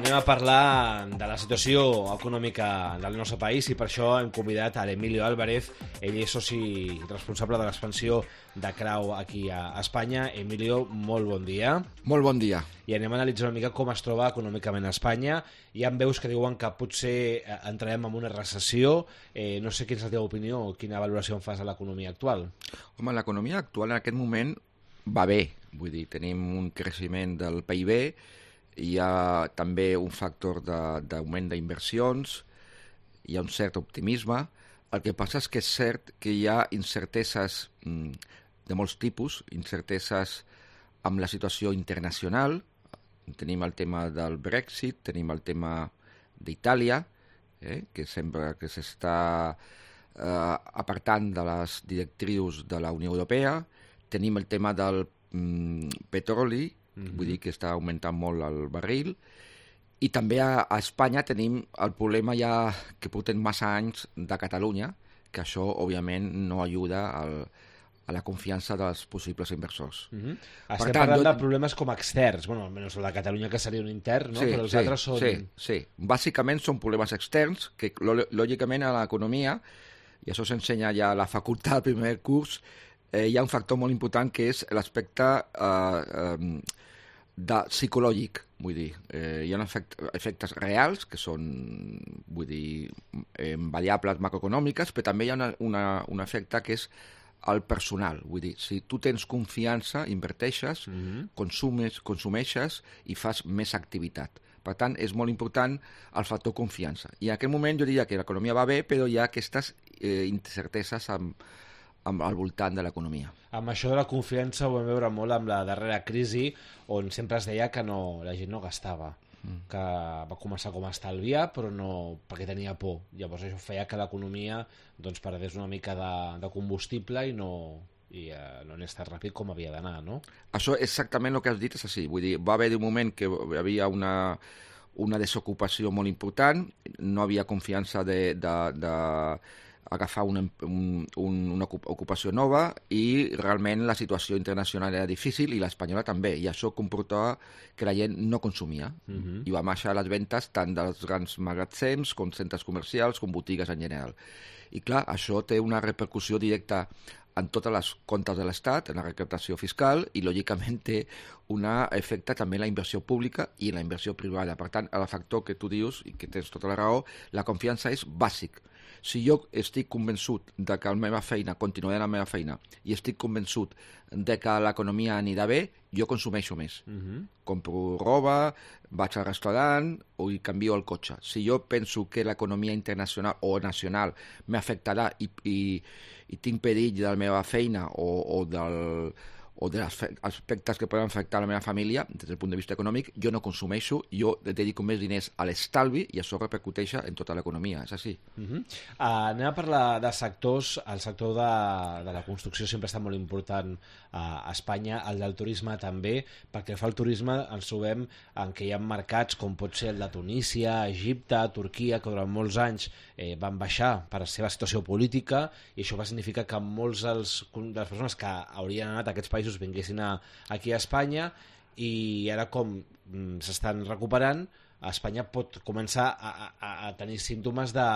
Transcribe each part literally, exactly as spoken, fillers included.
anem a parlar de la situació econòmica del nostre país i per això hem convidat a l'Emilio Álvarez. Ell és soci responsable de l'expansió de Crau aquí a Espanya. Emilio, molt bon dia. Molt bon dia. I anem a analitzar una mica com es troba econòmicament a Espanya. Hi ha veus que diuen que potser entrarem en una recessió. Eh, no sé quina és la teva opinió o quina valoració en fas de l'economia actual. Home, l'economia actual en aquest moment va bé. Vull dir, tenim un creixement del P I B, hi ha també un factor d'augment d'inversions, hi ha un cert optimisme. El que passa és que és cert que hi ha incerteses mm, de molts tipus, incerteses amb la situació internacional. Tenim el tema del Brexit, tenim el tema d'Itàlia, eh, que sembla que s'està eh, apartant de les directrius de la Unió Europea. Tenim el tema del mm, petroli, mm-hmm. vull dir que està augmentant molt el barril. I també a, a Espanya tenim el problema ja que portem massa anys de Catalunya, que això, òbviament, no ajuda al, a la confiança dels possibles inversors. Mm-hmm. Estem tant, parlant jo... de problemes com externs, bueno, almenys el de Catalunya, que seria un intern, no? Sí, Però els sí, altres són... Sí, sí. Bàsicament són problemes externs, que lògicament a l'economia, i això s'ensenya ja a la facultat del primer curs, eh, hi ha un factor molt important que és l'aspecte eh, eh, de psicològic, vull dir. Eh, hi ha efectes, efectes reals, que són, vull dir, eh, variables macroeconòmiques, però també hi ha una, una, un efecte que és el personal. Vull dir, si tu tens confiança, inverteixes, mm-hmm. consumes, consumeixes i fas més activitat. Per tant, és molt important el factor confiança. I en aquest moment jo diria que l'economia va bé, però hi ha aquestes eh, incerteses amb, amb al voltant de l'economia. Amb això de la confiança ho vam veure molt amb la darrera crisi, on sempre es deia que no, la gent no gastava, mm. que va començar com a estalviar, però no perquè tenia por. Llavors això feia que l'economia doncs, perdés una mica de, de combustible i no... i eh, no anés tan ràpid com havia d'anar, no? Això exactament el que has dit és així. Vull dir, va haver un moment que hi havia una, una desocupació molt important, no havia confiança de, de, de agafar una, un, un, una ocupació nova i realment la situació internacional era difícil i l'espanyola també, i això comportava que la gent no consumia. Mm-hmm. I va baixar les ventes tant dels grans magatzems com centres comercials com botigues en general. I clar, això té una repercussió directa en totes les comptes de l'Estat, en la recaptació fiscal, i lògicament té un efecte també en la inversió pública i en la inversió privada. Per tant, el factor que tu dius, i que tens tota la raó, la confiança és bàsic. Si jo estic convençut de que la meva feina continuarà la meva feina i estic convençut de que l'economia anirà bé, jo consumeixo més. Mm-hmm. Compro roba, vaig al restaurant o hi canvio el cotxe. Si jo penso que l'economia internacional o nacional m'afectarà i, i, i tinc perill de la meva feina o, o del... o dels aspectes que poden afectar la meva família des del punt de vista econòmic, jo no consumeixo, jo dedico més diners a l'estalvi i això repercuteix en tota l'economia, és així. Uh-huh. uh, anem a parlar de sectors. El sector de, de la construcció sempre està molt important uh, a Espanya, el del turisme també, perquè fa el turisme ens trobem en què hi ha mercats com pot ser el de Tunísia, Egipte, Turquia, que durant molts anys eh, van baixar per la seva situació política, i això va significar que molts dels, de les persones que haurien anat a aquests països vinguessin a, aquí a Espanya, i ara com mm, s'estan recuperant, Espanya pot començar a, a, a tenir símptomes de,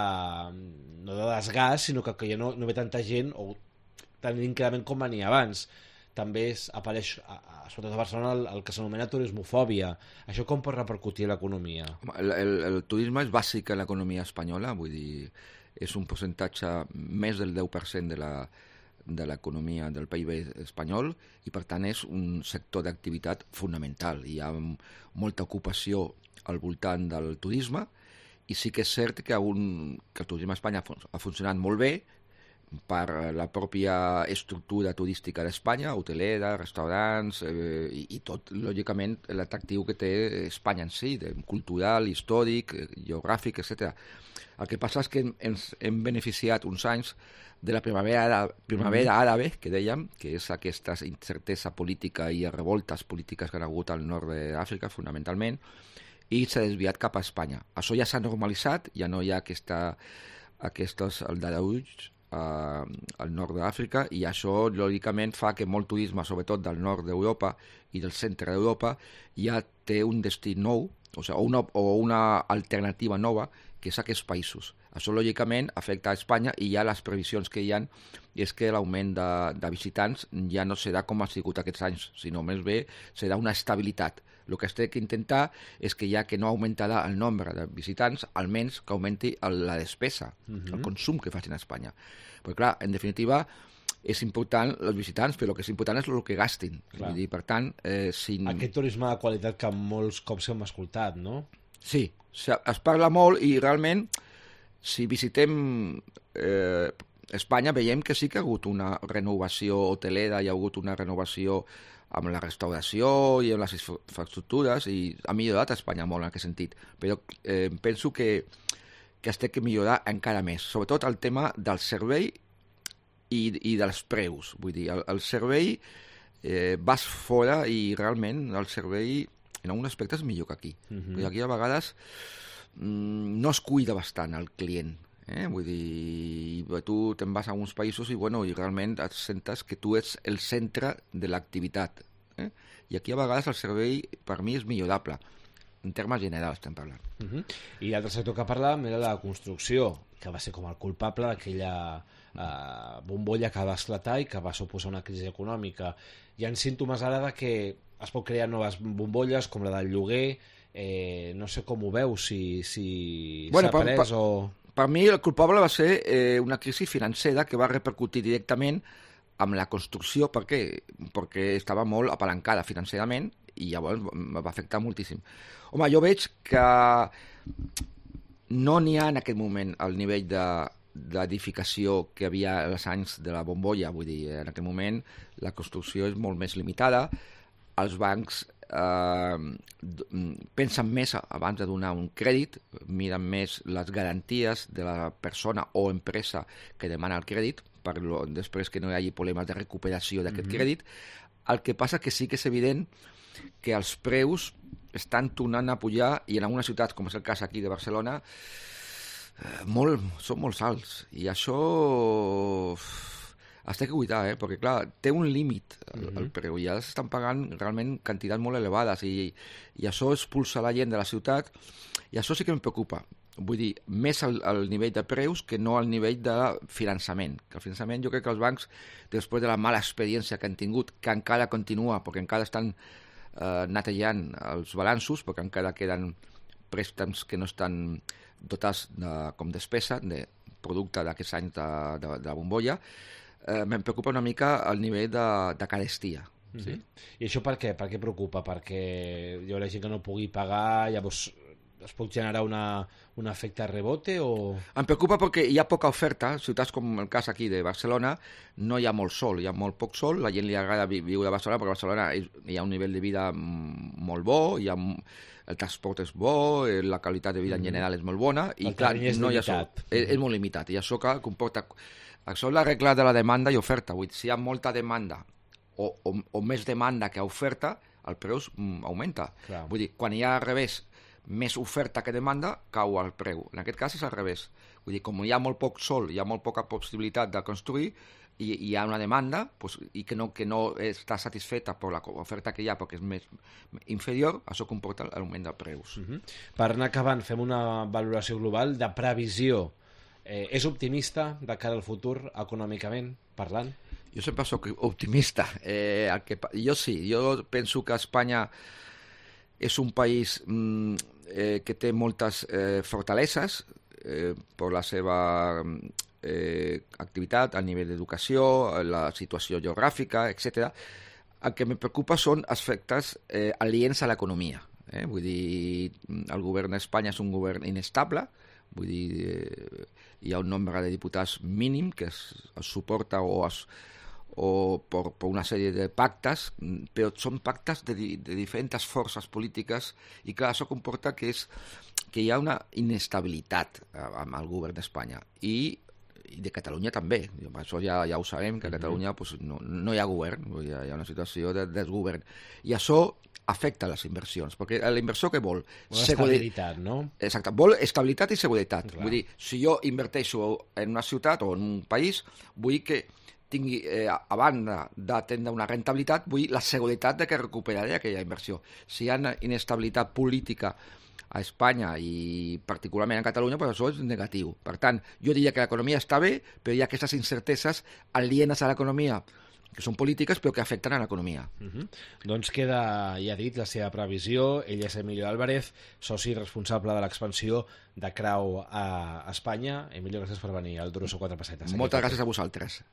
no de desgast, sinó que, que ja no, no ve tanta gent o tant d'increment com venia abans. També es, apareix, a, a, sobretot a Barcelona, el, el que s'anomena turismofòbia. Això com pot repercutir a l'economia? El, el, el turisme és bàsic en l'economia espanyola, vull dir, és un percentatge més del deu per cent de la de l'economia del P I B espanyol, i per tant és un sector d'activitat fonamental. Hi ha molta ocupació al voltant del turisme, i sí que és cert que, un, que el turisme a Espanya ha funcionat molt bé per la pròpia estructura turística d'Espanya, hotelera, restaurants, eh, i, i tot, lògicament, l'atractiu que té Espanya en si, de, cultural, històric, geogràfic, etcètera. El que passa és que ens hem beneficiat uns anys de la primavera, primavera àrabe, que dèiem, que és aquesta incertesa política i revoltes polítiques que han hagut al nord d'Àfrica, fonamentalment, i s'ha desviat cap a Espanya. Això ja s'ha normalitzat, ja no hi ha aquesta, aquests aldarulls uh, al nord d'Àfrica, i això, lògicament, fa que molt turisme, sobretot del nord d'Europa i del centre d'Europa, ja té un destí nou, o, sigui, o, una, o una alternativa nova, que és aquests països. Això, lògicament, afecta a Espanya, i ja les previsions que hi ha és que l'augment de, de visitants ja no serà com ha sigut aquests anys, sinó més bé serà una estabilitat. El que es té que intentar és que ja que no augmentarà el nombre de visitants, almenys que augmenti la despesa, uh-huh. el consum que facin a Espanya. Perquè, clar, en definitiva, és important els visitants, però el que és important és el que gastin. Vull dir, per tant, eh, si... Aquest turisme de qualitat que molts cops hem escoltat, no? Sí, es parla molt i realment, si visitem eh, Espanya, veiem que sí que ha hagut una renovació hotelera, hi ha hagut una renovació amb la restauració i amb les infraestructures, i ha millorat Espanya molt en aquest sentit. Però eh, penso que, que es té que millorar encara més, sobretot el tema del servei i, i dels preus. Vull dir, el, el servei, eh, vas fora i realment el servei en algun aspecte és millor que aquí. Uh-huh. Perquè aquí a vegades mm, no es cuida bastant el client. Eh? Vull dir, tu te'n vas a uns països i, bueno, i realment et sentes que tu ets el centre de l'activitat. Eh? I aquí a vegades el servei per mi és millorable. En termes generals estem parlant. Uh-huh. I l'altre sector que parlàvem era la construcció, que va ser com el culpable d'aquella eh, bombolla que va esclatar i que va suposar una crisi econòmica. Hi ha símptomes ara de que es pot crear noves bombolles, com la del lloguer. Eh, no sé com ho veus, si, si bueno, s'ha pres per, o... Per mi el culpable va ser eh, una crisi financera que va repercutir directament amb la construcció. Per què? Perquè estava molt apalancada financerament i llavors va afectar moltíssim. Home, jo veig que no n'hi ha en aquest moment el nivell de d'edificació que havia als anys de la bombolla. Vull dir, en aquest moment la construcció és molt més limitada, els bancs eh, pensen més abans de donar un crèdit, miren més les garanties de la persona o empresa que demana el crèdit, per lo, després que no hi hagi problemes de recuperació d'aquest mm-hmm. crèdit. El que passa que sí que és evident que els preus estan tornant a pujar, i en algunes ciutats, com és el cas aquí de Barcelona, eh, molt, són molt alts, i això es té que cuidar, eh? Perquè clar, té un límit el, mm-hmm. el preu, i ja s'estan pagant realment quantitats molt elevades, i, i això expulsa la gent de la ciutat, i això sí que em preocupa. Vull dir, més el, el nivell de preus que no el nivell de finançament. Que el finançament, jo crec que els bancs, després de la mala experiència que han tingut, que encara continua, perquè encara estan eh, netejant els balanços, perquè encara queden préstecs que no estan dotats de, com despesa, de producte d'aquests anys de, de, de la bombolla, eh, me'n preocupa una mica el nivell de, de carestia. Mm-hmm. Sí? I això per què? Per què preocupa? Perquè hi haurà gent que no pugui pagar, llavors es pot generar una, un efecte rebote o... Em preocupa perquè hi ha poca oferta. Ciutats com el cas aquí de Barcelona no hi ha molt sol, hi ha molt poc sol, la gent li agrada viure a Barcelona perquè a Barcelona hi ha un nivell de vida molt bo, hi ha, el transport és bo, la qualitat de vida en general és molt bona, i el clar, és no hi ha sol. És, és molt limitat, i això que comporta... Això és la regla de la demanda i oferta. Vull dir, si hi ha molta demanda o, o, o més demanda que oferta, el preu augmenta. Clar. Vull dir, quan hi ha al revés més oferta que demanda, cau el preu. En aquest cas és al revés. Vull dir, com hi ha molt poc sol, hi ha molt poca possibilitat de construir, i hi ha una demanda pues, i que no, que no està satisfeta per l'oferta que hi ha perquè és més inferior, això comporta l'augment de preus. Uh-huh. Per anar acabant, fem una valoració global de previsió. Eh, és optimista de cara al futur, econòmicament parlant? Jo sempre soc optimista. Eh, el que, jo sí, jo penso que Espanya és un país mm, eh, que té moltes eh, fortaleses eh, per la seva eh, activitat a nivell d'educació, la situació geogràfica, etcètera. El que me preocupa són aspectes eh, aliens a l'economia. Eh? Vull dir, el govern d'Espanya és un govern inestable, vull dir, eh, hi ha un nombre de diputats mínim que es, es suporta o, es, o per, per una sèrie de pactes, però són pactes de, de diferents forces polítiques, i clar, això comporta que, és, que hi ha una inestabilitat amb el govern d'Espanya, i, i de Catalunya també. Això ja, ja ho sabem, que a Catalunya pues, no, no hi ha govern, hi ha, hi ha una situació de desgovern, i això afecta les inversions, perquè l'inversor què vol? Una estabilitat, no? Exacte, vol estabilitat i seguretat. Clar. Vull dir, si jo inverteixo en una ciutat o en un país, vull que tingui, eh, a banda d'atendre una rentabilitat, vull la seguretat de que recuperaré aquella inversió. Si hi ha inestabilitat política a Espanya i particularment a Catalunya, però això és negatiu. Per tant, jo diria que l'economia està bé, però hi ha aquestes incerteses alienes a l'economia, que són polítiques però que afecten a l'economia. Uh -huh. Doncs queda, ja dit, la seva previsió. Ell és Emilio Álvarez, soci responsable de l'expansió de Crau a Espanya. Emilio, gràcies per venir al Duro so quatre pessetes. Moltes gràcies a vosaltres.